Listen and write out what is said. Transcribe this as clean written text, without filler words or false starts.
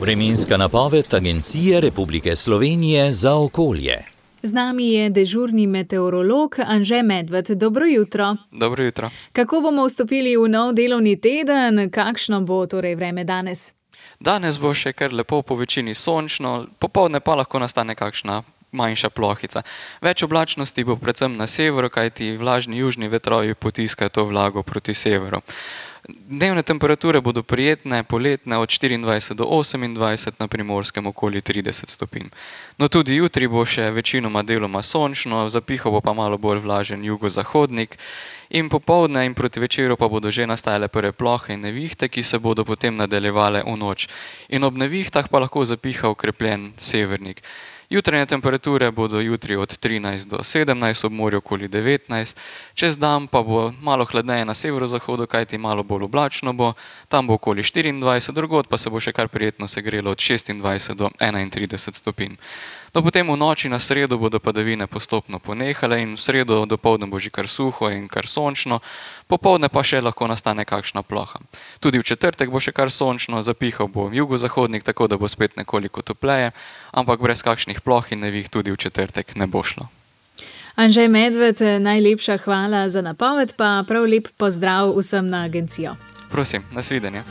Vremenska napoved Agencije Republike Slovenije za okolje. Z nami je dežurni meteorolog Anže Medved. Dobro jutro. Dobro jutro. Kako bomo vstopili v nov delovni teden? Kakšno bo torej vreme danes? Danes bo še kar lepo, po večini sončno, popoldne pa lahko nastane kakšna manjša plohica. Več oblačnosti bo predvsem na severu, kajti vlažni južni vetrovi potiskajo to vlago proti severu. Dnevne temperature bodo prijetne, poletne od 24 do 28, na Primorskem okoli 30 stopinj. No, tudi jutri bo še večinoma deloma sončno, zapihal bo pa malo bolj vlažen jugozahodnik in popoldne in proti večeru pa bodo že nastajale prve plohe in nevihte, ki se bodo potem nadaljevale v noč. In ob nevihtah pa lahko zapiha okrepljen severnik. Jutranje temperature bodo jutri od 13 do 17, ob morju okoli 19, čez dan pa bo malo hladneje na severozahodu, kajti malo bolj oblačno bo, tam bo okoli 24, drugod pa se bo še kar prijetno segrelo od 26 do 31 stopinj. No, potem v noči na sredo bodo padavine postopno ponehale in v sredo dopoldne bo že kar suho in kar sončno, popoldne pa še lahko nastane kakšna ploha. Tudi v četrtek bo še kar sončno, zapihal bo jugozahodnik, tako da bo spet nekoliko topleje, ampak brez kakšnih ploh in neviht tudi v četrtek ne bo šlo. Anže Medved, najlepša hvala za napoved, pa prav lep pozdrav vsem na agencijo. Prosim, nasvidenje.